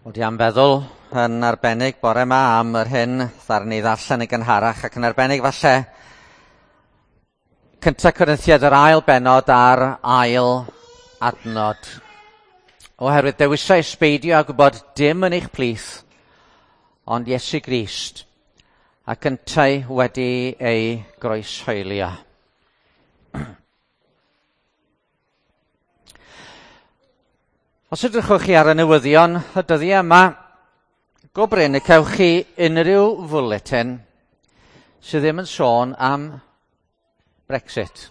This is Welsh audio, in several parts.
Wel, dwi am feddwl yn arbennig bore yma am yr hyn ddaru ni ddarllen yn gynharach, ac yn arbennig falle Cynta Corinthiaid yr ail bennod a'r ail adnod. Oherwydd dewisais beidio â gwybod dim yn eich plith, ond Iesu Grist, ac yntau wedi ei groeshoelio. Os edrychwch chi ar y newyddion y dyddiau yma, go brin y cewch chi unrhyw fwletin sydd ddim yn sôn am Brexit.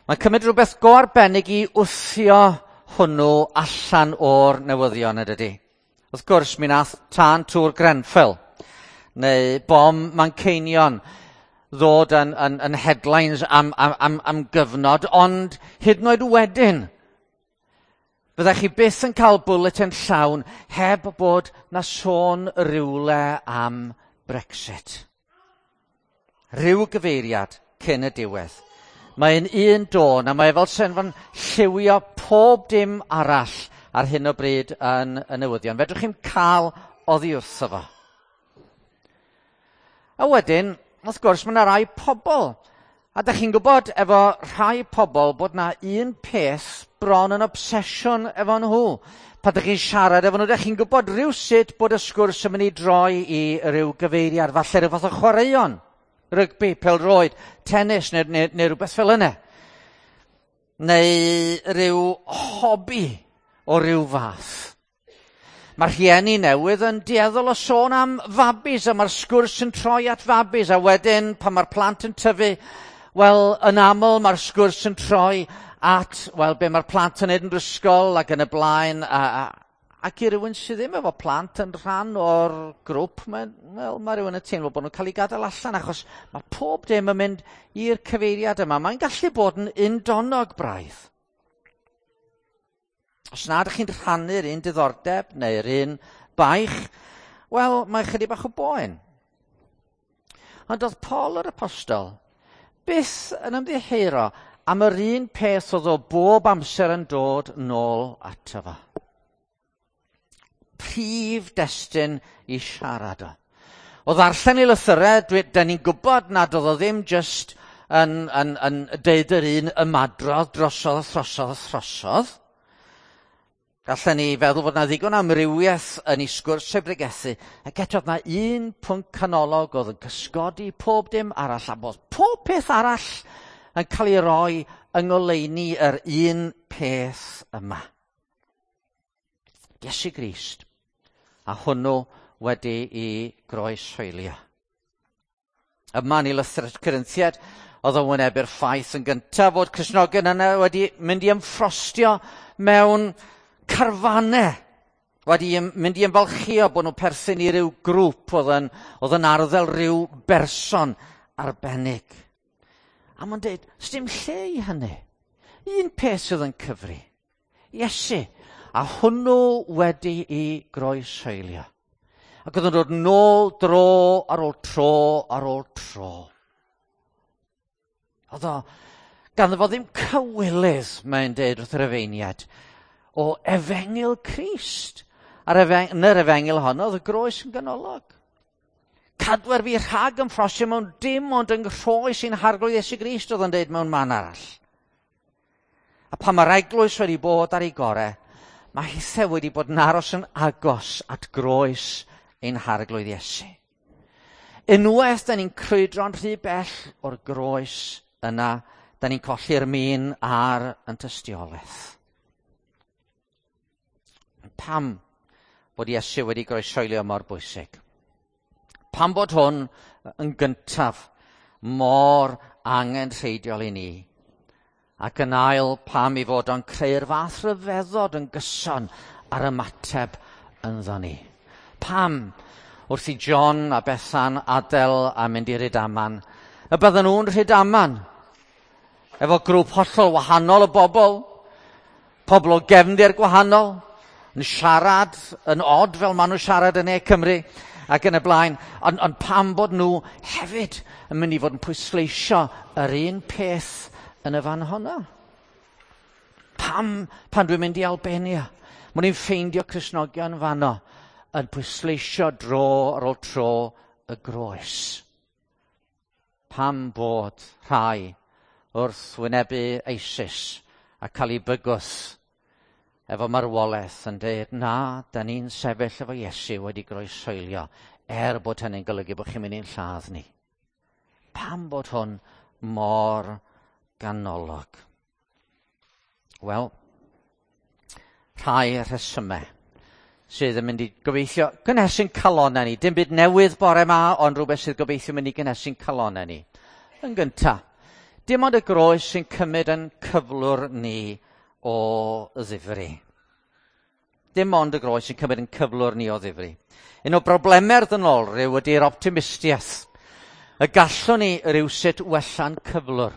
Mae'n cymryd rhywbeth go arbennig i wthio hwnnw allan o'r newyddion, yn dydi? Wrth gwrs, mi nath tân Tŵr Grenfell neu bom Manceinion ddod yn headlines am gyfnod, ond hyd yn oed wedyn, fyddech chi byth yn cael bulletin llawn heb bod na sôn rywle am Brexit. Rhyw gyfeiriad cyn y diwedd. Mae'n un dôn, a mae fel sy'n fan lliwio pob dim arall ar hyn o bryd yn y newyddion. Fedrwch chi'm cael oddi wrtho fo. A wedyn, wrth gwrs, mae yna rai pobl. A dach chi'n gwybod efo rhai pobl bod na un peth bron yn obsesiwn efo nhw. Pan dach chi'n siarad efo nhw, dach chi'n gwybod rhywsut bod y sgwrs yn mynd i droi i ryw gyfeiriad, falle rhyw fath o chwaraeon, rygbi, pêl-droed, tennis neu rhywbeth fel yna. Neu ryw hobi o ryw fath. Mae rhieni newydd yn dueddol o sôn am fabis, a mae'r sgwrs yn troi at fabis, a wedyn pan mae'r plant yn tyfu, wel, yn aml mae'r sgwrs yn troi at, wel, be mae'r plant yn neud yn yr ysgol ac yn y blaen, ac i rywun sydd ddim efo plant yn rhan o'r grŵp, mae rhywun yn teimlo bod nhw'n cael ei gadael allan, achos mae pob dim yn mynd i'r cyfeiriad yma. Mae'n gallu bod yn undonog braidd. Os nad ydych chi'n rhannu'r un diddordeb neu'r un baich, wel, mae chydig bach o boen. Ond oedd Paul yr Apostol byth yn ymddiheuro am yr un peth oedd o bob amser yn dod nôl ato fo. Prif destun i siarad o. O ddarllen ei lythyrau, da ni'n gwybod nad oedd o ddim jyst yn deud yr un ymadrodd drosodd a throsodd a throsodd. Gallen ni feddwl bod 'na ddigon amrywiaeth yn ei sgwrs ei bregethu, ac eto oedd 'na un pwnc canolog oedd yn cysgodi pob dim arall, a bod pob peth arall yn cael ei roi yng ngoleuni yr un peth yma. Iesu Grist, a hwnnw wedi i groeshoelio. Yma yn ei lythyr at Corinthiaid, oedd o'n wynebu'r ffaith yn gyntaf fod Cristnogion yna wedi mynd i ymffrostio mewn carfannau, wedi mynd i ymfalchio bod nhw'n perthyn i ryw grŵp oedd yn arddel rhyw berson arbennig. A mae'n dweud, sdim lle i hynny. Un peth sydd yn cyfri, Iesu, a hwnnw wedi i groeshoelio. Ac oedd yn dod nôl dro ar ôl tro ar ôl tro. Oedd o, ganddo fo ddim cywilydd, mae'n dweud wrth yr efeiniad, o efengyl Crist. A'r yn yr efengyl honno, oedd y groes yn ganolog. Cadwer fi rhag ymffrostio mewn dim ond yng nghroes i'n Harglwydd Iesu Grist, oedd o'n dweud mewn man arall. A pan mae'r eglwys wedi bod ar ei gorau, mae hithau wedi bod yn aros yn agos at groes ein Harglwydd Iesu. Unwaith da ni'n crwydro'n rhy bell o'r groes yna, da ni'n colli'r min ar yn tystiolaeth. Pam bod Iesu wedi groeshoelio mor bwysig? Pam bod hwn yn gyntaf mor angenrheidiol i ni? Ac yn ail, pam i fod o'n creu'r fath rhyfeddod yn gyson ar ymateb ynddo ni? Pam wrth i John a Bethan adael a mynd i Rydaman, y bydden nhw'n Rhydaman efo grŵp hollol wahanol o bobl, pobl o gefndir gwahanol, yn siarad yn od fel maen nhw'n siarad yn Ne Cymru ac yn y blaen, ond pam bod nhw hefyd yn mynd i fod yn pwysleisio yr un peth yn y fan honno? Pam pan dwi'n mynd i Albania? Mwyn ni'n ffeindio Cristnogion fanno yn pwysleisio dro ar ôl tro y groes. Pam bod rhai wrth wynebu ISIS a cael ei bygwth efo marwolaeth yn dweud, na, da ni'n sefyll efo Iesu wedi groeshoelio, er bod hynny'n golygu bod chi'n mynd i'n lladd ni. Pam bod hwn mor ganolog? Wel, rhai rhesymau sydd yn mynd i gobeithio gynhesu'n calonau ni. Dim byd newydd bore ma, ond rhywbeth sydd gobeithio mynd i gynhesu'n calonau ni. Yn gyntaf, dim ond y groes sy'n cymryd yn cyflwr ni o ddifri. Dim ond y groes sy'n cymryd yn cyflwr ni o ddifri. Un o broblemau'r ddynolryw ydy'r optimistiaeth. Y gallwn ni rywsut wella'n cyflwr.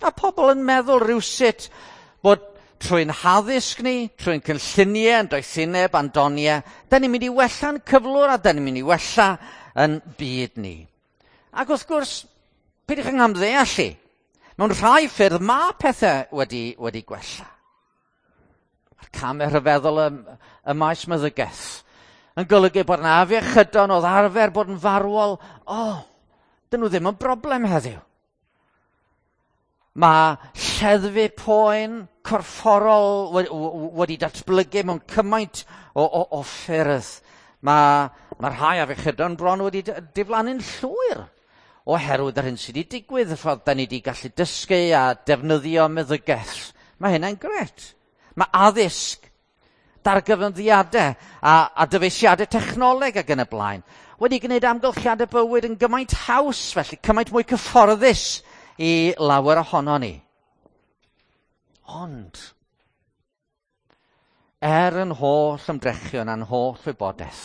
A pobl yn meddwl rywsut bod trwy'n haddysg ni, trwy'n cynlluniau, yn doethineb, a'n doniau, da ni'n mynd i wella'n cyflwr a da ni'n mynd i wella yn byd ni. Ac wrth gwrs, peidiwch yn amddeall i. Mewn rhai ffyrdd mae pethau wedi gwella. Mae'r camau rhyfeddol y maes meddygaeth yn golygu bod yna afiechydon oedd arfer bod yn farwol. O, dyn nhw ddim yn broblem heddiw. Mae lleddfu poen corfforol wedi datblygu mewn cymaint o ffyrdd. Mae rhai afiechydon bron wedi diflannu'n llwyr oherwydd yr hyn sydd wedi digwydd, y ffordd da ni wedi gallu dysgu a defnyddio meddygaeth. Mae hynna'n gret. Mae addysg, dargyfyngiadau a dyfeisiadau technoleg ac yn y blaen wedi gwneud amgylchiadau bywyd yn gymaint haws, felly cymaint mwy cyfforddus i lawer ohono ni. Ond, er yn holl ymdrechion a'n holl wybodaeth,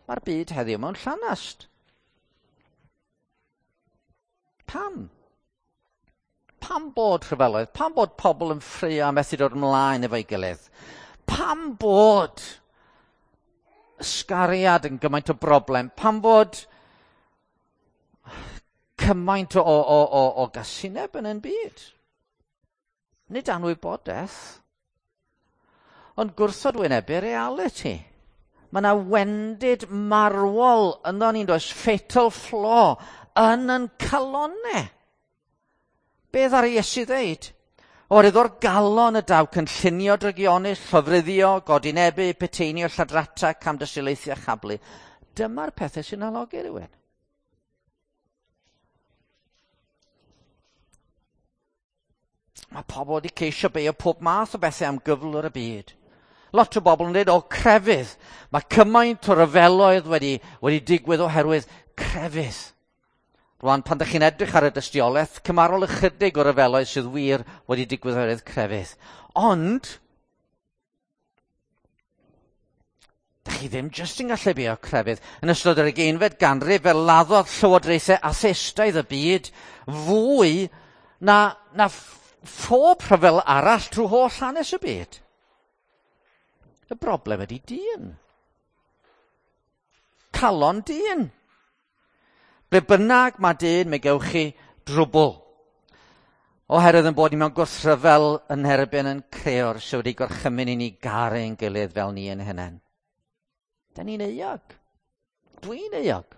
mae'r byd heddiw mewn llanast. Pam? Pam bod rhyfeloedd? Pam bod pobl yn ffraeo a methu dod ymlaen efo'i gilydd? Pam bod ysgariad yn gymaint o broblem? Pam bod cymaint o gasineb yn ein byd? Nid anwybodaeth, ond gwrthod wynebu reality. Mae yna wendid marwol ynddo ni'n does, fatal flaw yn calonau. Beth ar Iesu ddeud? Oherwydd o'r galon y daw cynllunio drygionus, llofruddio, godinebu, peteinio, lladrata, camdystiolaethu a chablu. Dyma'r pethau sy'n halogi rhywun. Mae pobl wedi ceisio beio pob math o bethau am gyflwr y byd. Lot o bobl yn dweud, o, crefydd. Mae cymaint o ryfeloedd wedi digwydd oherwydd crefydd. Rwan, pan ydych chi'n edrych ar y dystiolaeth, cymarol ychydig o ryfeloedd sydd wir wedi digwydd oherwydd crefydd. Ond, dych chi ddim jyst yn gallu beio crefydd. Yn ystod yr 20fed ganrif, fe laddodd llywodraethau atheistaidd y byd fwy na phob rhyfel arall trwy holl hanes y byd. Y broblem ydy dyn. Calon dyn. Ble bynnag mae dyn, mi gewch chi drwbl. Oherwydd yn bod ni mewn gwrthryfel yn erbyn yn creor sydd wedi gorchymyn i ni garu ein gilydd fel ni yn hunain. Da ni'n euog. Dwi'n euog.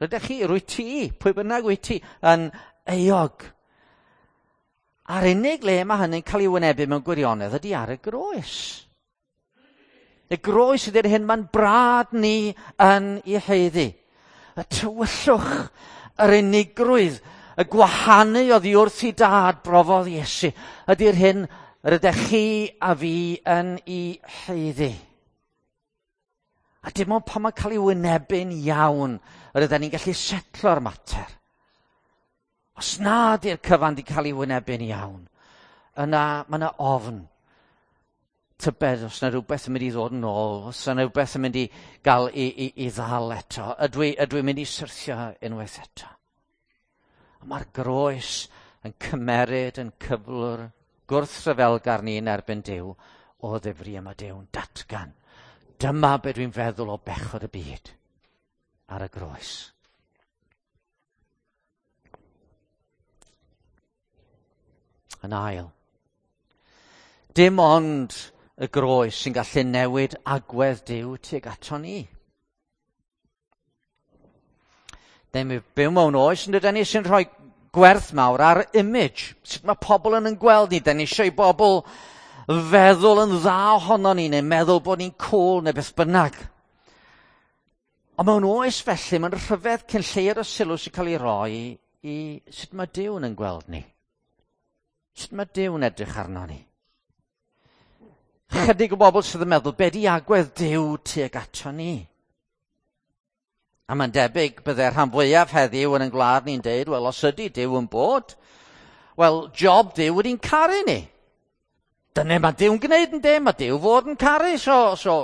Rydych chi, rwyt ti, pwy bynnag wyt ti, yn euog. A'r unig le mae hynny'n cael ei wynebu mewn gwirionedd ydy ar y groes. Y groes ydy'r hyn mae'n brad ni yn ei haeddu. Y tywyllwch, yr unigrwydd, y gwahanu oddi wrth i dad brofodd Iesu ydy'r hyn yr ydych chi a fi yn ei haeddu. A dim ond pan mae'n cael ei wynebu'n iawn yr ydyn ni'n gallu setlo'r mater. Os na ydy'r cyfan wedi cael ei wynebu'n iawn, yna mae yna ofn. Tybed os yna rhywbeth yn mynd i ddod yn ôl, os yna rhywbeth yn mynd i gael i ddal eto. Ydw i'n mynd i syrthio unwaith eto? A mae'r groes yn cymeryd yn cyflwr gwrthryfelgar ni yn erbyn Duw o ddifri yma Duw'n datgan. Dyma be dwi'n feddwl o bechod y byd ar y groes. Yn ail, dim ond y groes sy'n gallu newid agwedd Duw tuag ato ni. Ni'n byw mewn oes yn dydyn ni sy'n rhoi gwerth mawr ar image. Sut mae pobl yn gweld ni. Da ni eisiau i bobl feddwl yn dda ohono ni neu meddwl bod ni'n cool neu beth bynnag. Ond mewn oes felly, mae'n rhyfedd cyn lleied o sylw sy'n cael ei roi i sut mae Duw yn gweld ni. Sut mae Duw'n edrych arno ni. Chydig o bobl sydd yn meddwl, be di agwedd Duw tuag ato ni? A mae'n debyg bydde'r rhan fwyaf heddiw yn ein gwlad ni'n deud, wel, os ydy Duw yn bod, wel, job Duw wedi'n caru ni. Dyna mae Duw'n gwneud yn de, mae Duw fod yn caru, so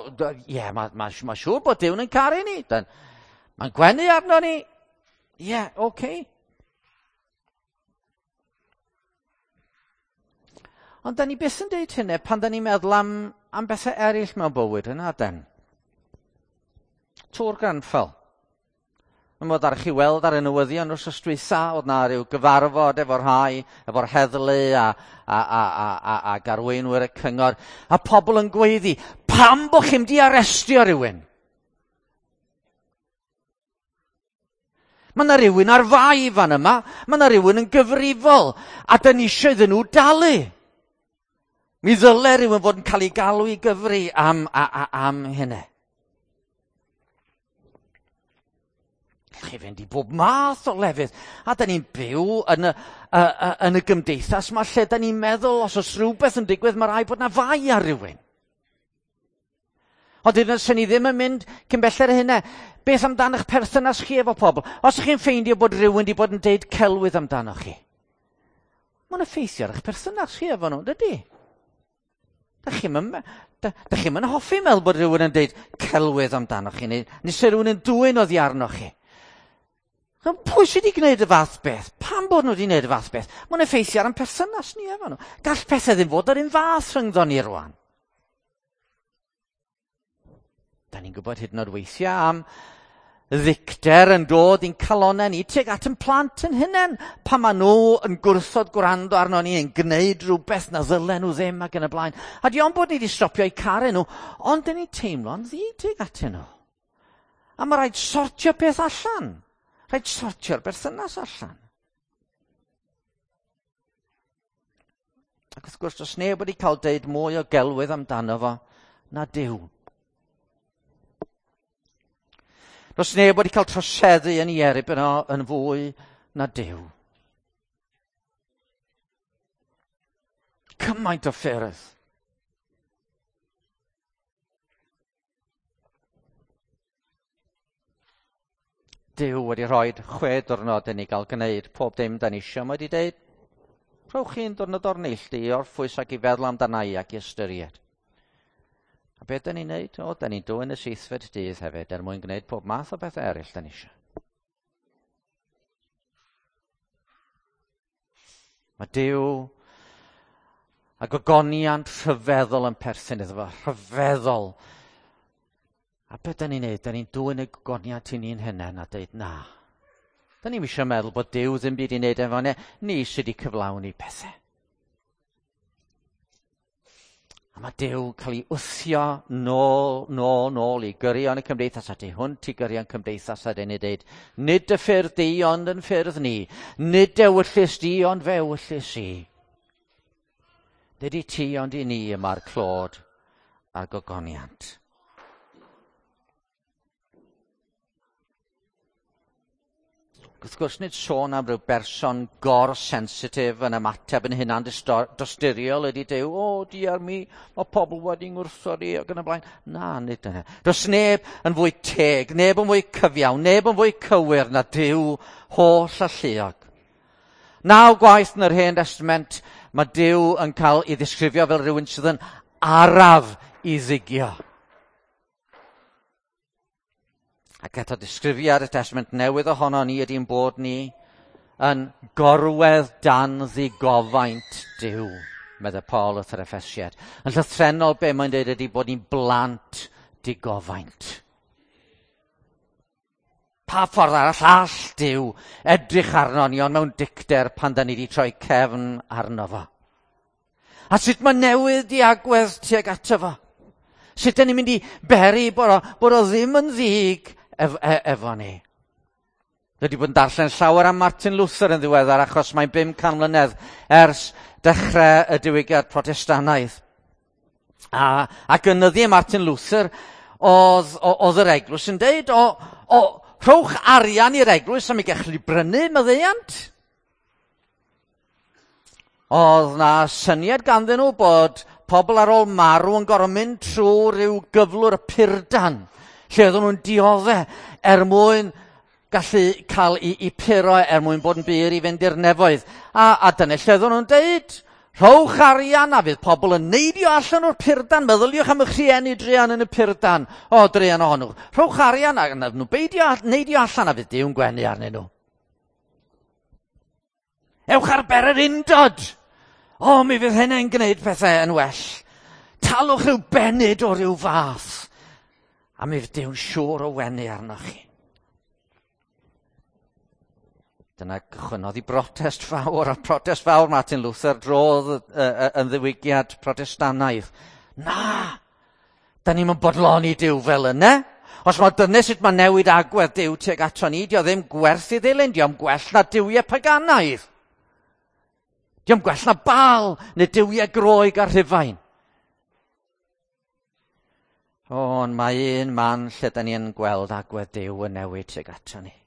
ie, mae siŵr bod Duw'n yn caru ni. Mae'n gwenu arno ni. Ie, yeah, oce. Okay. Ond da ni byth yn deud hynny pan da ni'n meddwl am bethau eraill mewn bywyd yna, den. Tŵr Grenfell. Mae'n bod ar chi weld ar y newyddion wrth dwytha, oedd na rhyw gyfarfod efo'r rhai, efo'r heddlu a arweinwyr y cyngor, a pobl yn gweiddi, pam bo chi'm di arestio rhywun? Mae yna rhywun ar fai fan yma, mae yna rhywun yn gyfrifol, a da ni eisiau iddyn nhw dalu. Mi ddyle rhywun fod yn cael ei galw i gyfri am hynny. Chi fynd i bob math o lefydd. A da ni'n byw yn y gymdeithas yma lle da ni'n meddwl os oes rhywbeth yn digwydd mae rhaid bod na fai ar rhywun. Ond hyd yn oed ni ddim yn mynd cyn belled hynny. Beth amdano'ch perthynas chi efo pobl? Os ydych chi'n ffeindio bod rhywun wedi bod yn deud celwydd amdanoch chi, mae'n effeithio ar eich perthynas chi efo nhw, dydy? Da chi'm yn hoffi meddwl bod rhywun yn deud celwydd amdanoch chi, neu se rhywun yn dwyn oddi arnoch chi. Pwy sydd wedi gwneud y fath beth? Pam bod nhw wedi gwneud y fath beth? Mae'n effeithio ar ein perthynas ni efo nhw. Gall pethau ddim fod yr un fath rhyngddo ni rwan. Da ni'n gwybod hyd yn oed weithiau am ddicter yn dod i'n calonnau ni tuag at yn plant yn hunain. Pan maen nhw yn gwrthod gwrando arno ni, yn gwneud rhywbeth na ddylen nhw ddim ac yn y blaen. A di ond bod ni wedi stopio eu caru nhw, ond dyn ni'n teimlo'n ddi tuag atyn nhw. A mae rhaid sortio peth allan. Rhaid sortio'r berthynas allan. Ac wrth gwrs, does neb wedi cael deud mwy o gelwydd amdano fo na Duw. Does neb wedi cael troseddu yn ei erbyn o yn fwy na Duw. Cymaint o ffyrdd. Duw wedi rhoi 6 diwrnod i ni gael gwneud pob dim da ni eisiau. Mae wedi deud, rhowch chi'n diwrnod o'r neilltu i orffwys ac i feddwl amdana i ac i ystyried. A beth da ni'n neud? O, da ni'n dwyn y 7fed dydd hefyd er mwyn gwneud pob math o bethau eraill da ni eisiau. Mae Duw a gogoniant rhyfeddol yn perthyn iddo fo, rhyfeddol. A beth da ni'n neud? Da ni'n dwyn y gogoniant i ni'n hunain a deud na. Da ni'n eisiau meddwl bod Duw ddim byd i wneud efo ni, ni sydd wedi cyflawni pethau. A mae Duw cael ei wthio nôl i gyrion y cymdeithas, a tu hwnt i gyrion cymdeithas, a dyn ni dweud, nid y ffyrdd di ond yn ffyrdd ni, nid ewyllys di ond fe ewyllys i. Nid i ti ond i ni y mae'r clod a'r gogoniant. Wrth gwrs, nid sôn am ryw berson gor-sensitif yn ymateb yn hunan dosturiol ydy Duw, o, diar mi, mae pobl wedi ngwrthod i ac yn y blaen. Na, nid dyna. Does neb yn fwy teg, neb yn fwy cyfiawn, neb yn fwy cywir na Duw holl alluog. 9 gwaith yn yr Hen Testament, mae Duw yn cael ei ddisgrifio fel rhywun sydd yn araf i ddigio. Ac eto disgrifiad y Testament Newydd ohono ni ydy'n bod ni yn gorwedd dan ddigofaint Duw, meddai Paul wrth yr Effesiad. Yn llythrennol be mae'n dweud ydy bod ni'n blant digofaint. Pa ffordd arall all Duw edrych arno ni ond mewn dicter pan da ni wedi troi cefn arno fo? A sut mae newid i agwedd tuag ato fo. Sut dyn ni'n mynd i beri bod o ddim yn ddig efo ni. Dwi wedi bod yn darllen llawer am Martin Luther yn ddiweddar achos mae'n 500 mlynedd ers dechrau y diwygiad Protestannaidd. Ac yn nyddiau Martin Luther oedd yr eglwys yn deud, o rhowch arian i'r eglwys am i gallu brynu maddeuant. Oedd na syniad ganddyn nhw bod pobl ar ôl marw yn gorfod mynd trwy rhyw gyflwr y purdan, lle oedden nhw'n dioddef er mwyn gallu cael i puro er mwyn bod yn bur i fynd i'r nefoedd. A dyna lle oedden nhw'n deud, rhowch arian a fydd pobl yn neidio allan o'r purdan. Meddyliwch am eich rhieni druan yn y purdan. O, druan ohonyn nhw. Rhowch arian a nhw beidio neidio allan a fydd Duw'n gwenu arnyn nhw. Ewch ar bererindod. O, mi fydd hynny'n gwneud pethau yn well. Talwch rhyw benyd o ryw fath. A mi fydd Duw'n siŵr o wenu arnoch chi. Dyna gychwynnodd i brotest fawr, a protest fawr Martin Luther drodd yn ddiwygiad Protestannaidd. Na! Da ni'm yn bodloni Duw fel yna. Os mae dyna sut mae newid agwedd Duw tuag ato ni, dio ddim gwerth i ddilyn, dio'm gwell na duwiau paganaidd. Dio'm gwell na Baal neu duwiau Groeg a Rhufain. Ond mae un man lle da ni yn gweld agwedd Duw yn newid tuag ato ni.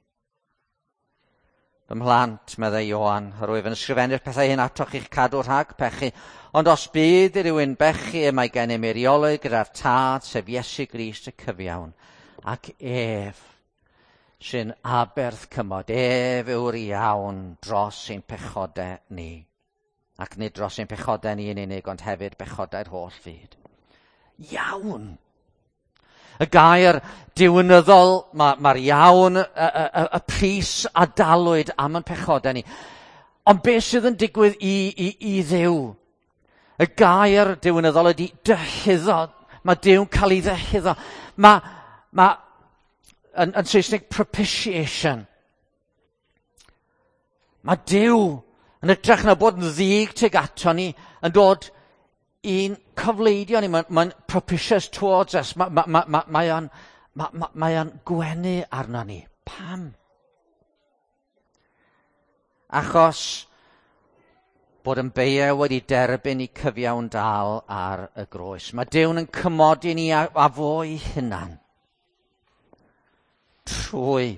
Fy mhlant, meddai Ioan, yr wyf yn ysgrifennu'r pethau hyn atoch i'ch cadw rhag pechu, ond os bydd i rywun bechu, y mae gennym eiriolwr gyda'r Tad, sef Iesu Grist y cyfiawn, ac ef sy'n aberth cymod, ef yw'r iawn dros ein pechodau ni. Ac nid dros ein pechodau ni yn unig, ond hefyd pechodau'r holl fyd. Iawn! Y gair diwynyddol, mae'r iawn, y pris a dalwyd am ein pechodau ni. Ond beth sydd yn digwydd i Dduw? Y gair diwynyddol ydy dyhuddo. Mae Duw'n cael ei ddyhuddo. Mae yn Saesneg propitiation. Mae Duw yn hytrach na bod yn ddig tuag ato ni, yn dod i'n cofleidio ni, mae'n propitious towards us, mae o'n gwenu arno ni. Pam? Achos bod yn beiau wedi derbyn i cyfiawn dal ar y groes. Mae Duw'n yn cymodi ni a fo'i hunan trwy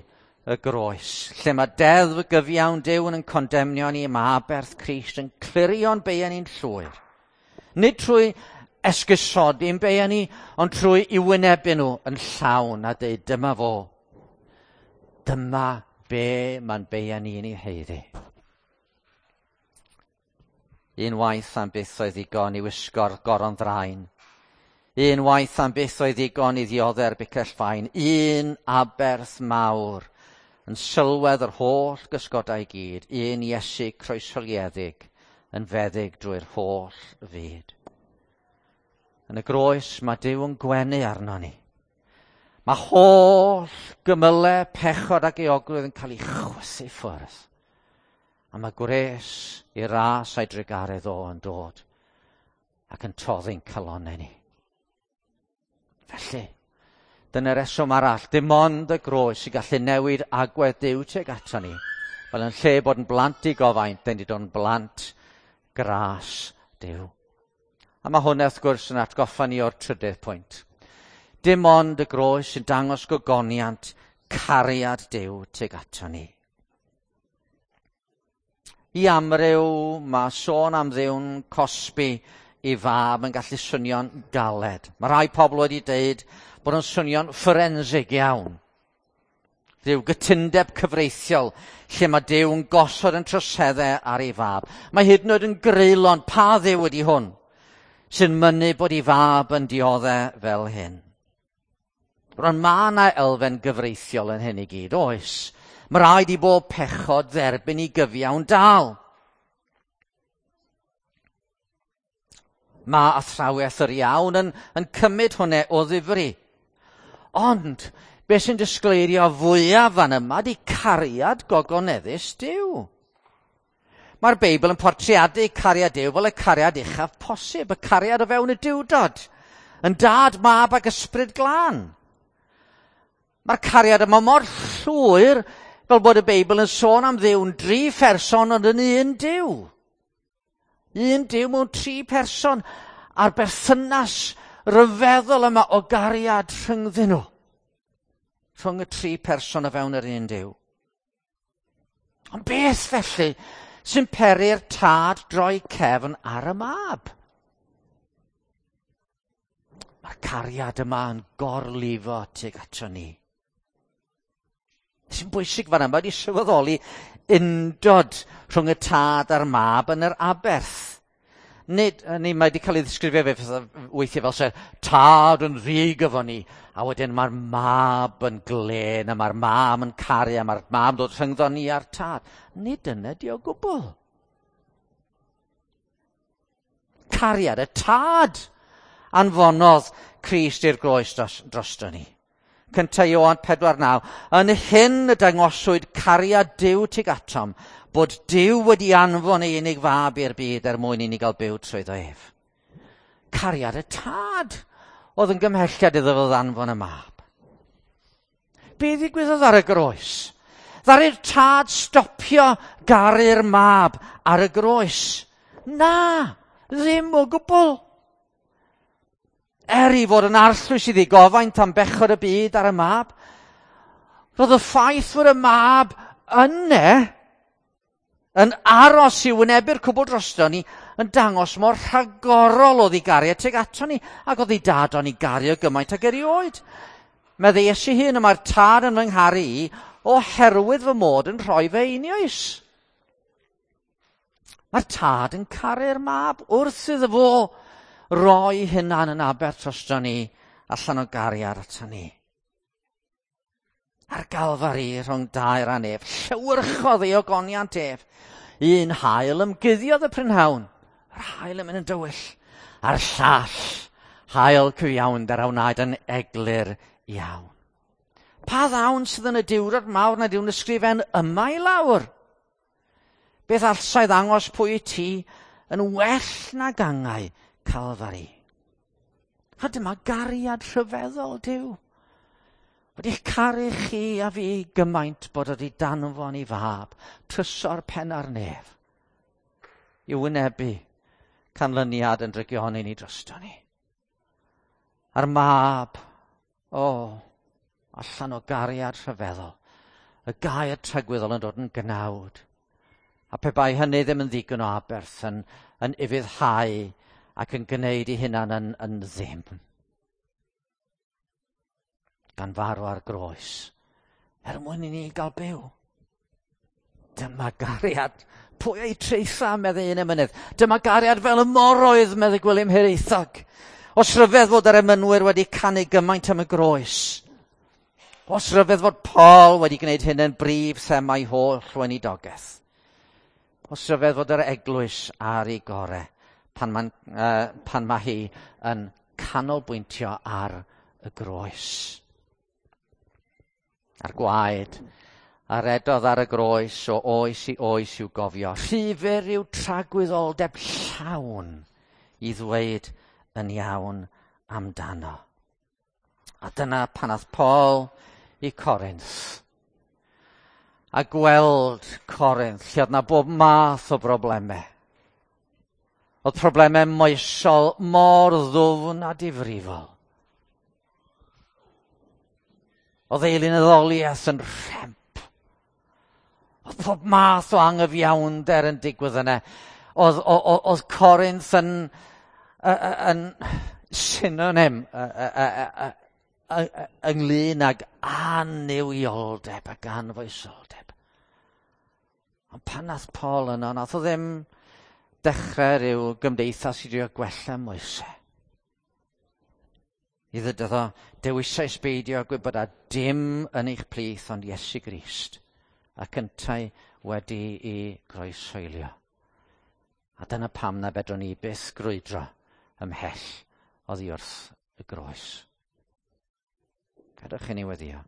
y groes. Lle mae deddf gyfiawn Duw'n yn condemnio ni, mae aberth Crist yn clirio'n beiau ni'n llwyr. Nid trwy esgusodi'n beiau ni, ond trwy i wynebu nhw yn llawn a dweud dyma fo. Dyma be mae'n beiau ni'n ei haeddu. Un waith am byth oedd ddigon i wisgo'r goron ddraen. Un waith am byth oedd ddigon i ddiodde'r bicell fain. Un aberth mawr yn sylwedd yr holl gysgodau gyd. Un Iesu croeshoeliedig yn feddyg drwy'r holl fyd. Yn y groes mae Duw yn gwenu arno ni. Mae holl gymylau, pechod ac euogrwydd yn cael ei chwythu ffwrdd. A mae gwres i ras a'i drugaredd o yn dod ac yn toddi'n calonnau ni. Felly, dyna'r reswm arall, dim ond y groes sy'n gallu newid agwedd Duw tuag ato ni. Fel yn lle bod yn blant i gofaint, dyn ni dod yn blant gras Duw. A mae hwnna wrth gwrs yn atgoffa ni o'r trydydd pwynt. Dim ond y groes sy'n dangos gogoniant cariad Duw tuag ato ni. I amryw mae sôn am Dduw'n cosbi i fab yn gallu swnio'n galed. Mae rhai pobl wedi deud bod yn swnio'n fforensig iawn. Rhyw gytundeb cyfreithiol lle mae Duw yn gosod yn troseddau ar ei fab. Mae hyd yn oed yn greulon, pa Dduw ydy hwn sy'n mynnu bod ei fab yn dioddef fel hyn? Rwan mae yna elfen gyfreithiol yn hyn i gyd, oes? Mae rhaid i bob pechod dderbyn i gyfiawn dal. Mae athrawiaeth yr iawn yn cymryd hwnna o ddifri. Ond, beth sy'n disgleirio fwyaf fan yma di cariad gogoneddus Duw. Mae'r Beibl yn portreadu cariad Duw fel y cariad uchaf posib, y cariad o fewn y Duwdod, yn Dad, Mab ac Ysbryd Glân. Mae'r cariad yma mor llwyr fel bod y Beibl yn sôn am Dduw'n dri pherson ond yn un Duw. Un Duw mewn tri person a'r berthynas ryfeddol yma o gariad rhyngddyn nhw. Rhwng y tri person o fewn yr un Duw. Ond beth felly sy'n peri'r tad droi cefn ar y mab? Mae'r cariad yma yn gorlifo tuag ato ni. Sy'n bwysig fan yma ydy sylweddoli undod rhwng y tad a'r mab yn yr aberth. Nid, ni, mae wedi cael ei ddisgrifio fe weithiau fel se tad yn ddig efo ni, a wedyn mae'r mab yn glen, a mae'r mam yn caru, a mae'r mab yn dod rhyngddo ni a'r tad. Nid yna di o gwbl. Cariad y tad anfonodd Crist i'r groes drosto ni. 1 Ioan 4:9. Yn hyn y dangoswyd cariad Duw tuag atom, bod Duw wedi anfon ei unig fab i'r byd er mwyn i ni gael byw trwyddo ef. Cariad y tad oedd yn gymhelliad iddo fo ddanfon y mab. Be ddigwyddodd ar y groes? Ddaru'r tad stopio garu'r mab ar y groes? Na, ddim o gwbl. Er i fod yn arllwys i ddigofaint am bechod y byd ar y mab, roedd y ffaith fod y mab yne yn aros i wynebu'r cwbl drosto ni yn dangos mor rhagorol oedd ei gariad tuag ato ni, ac oedd ei dad o'n ei gario gymaint ag erioed. Meddai Iesu hun, y mae'r tad yn fy ngharu i oherwydd fy mod yn rhoi fe einioes. Mae'r tad yn caru'r mab wrth iddo fo roi hunan yn aberth drosto ni allan o gariad ato ni. Ar Galfari rhwng dair a nef, llewyrchodd ei ogoniant ef. Un haul ymguddiodd y prynhawn, yr haul yn mynd yn dywyll, a'r llall, haul cyfiawnder a wnaed yn eglur iawn. Pa ddawn sydd yn y diwrnod mawr nad yw'n ysgrifen yma i lawr? Beth allsai ddangos pwy i ti yn well na gangau Calfari? A dyma gariad rhyfeddol Duw. Wedi'ch caru chi a fi gymaint bod wedi danfon i fab, trysor penna'r nef, i wynebu canlyniad yn drygioni ni drosto ni. A'r mab, o, allan o gariad rhyfeddol, y gair tragwyddol yn dod yn gnawd. A pe bai hynny ddim yn ddigon o aberth yn ufuddhau ac yn gwneud ei hunan yn ddim. Gan farw ar groes, er mwyn i ni gael byw. Dyma gariad. Pwy ei treitha, meddai un emynydd. Dyma gariad fel y moroedd, meddai Gwilym Hiraethog. Os ryfedd fod yr emynwyr wedi canu gymaint am y groes. Os ryfedd fod Paul wedi gwneud hyn yn brif themau holl weinidogaeth. Os ryfedd fod yr eglwys ar ei gore pan mae hi yn canolbwyntio ar y groes. A'r gwaed a redodd ar y groes o oes i oes i'w gofio. Rhy fyr yw tragwyddoldeb llawn i ddweud yn iawn amdano. A dyna pan ath Paul i Corinth. A gweld Corinth, lle oedd 'na bob math o broblemau. Oedd problemau moesol mor ddwfn a difrifol. Oedd eilunaddoliaeth yn rhemp. Oedd pob math o angyfiawnder yn digwydd yna. Oedd Corinth yn synonym ynglyn ag annuwioldeb ac anfoesoldeb. Ond pan nath Paul yno, nath o ddim dechrau rhyw gymdeithas i drio gwella moesau. I ddydodd o, dewisais beidio gwybod a dim yn eich plith ond Iesu Grist, ac yntau wedi i groeshoelio. A dyna pam na fedrwn ni byth grwydro ymhell oddi wrth y groes. Gadewch i ni weddïo.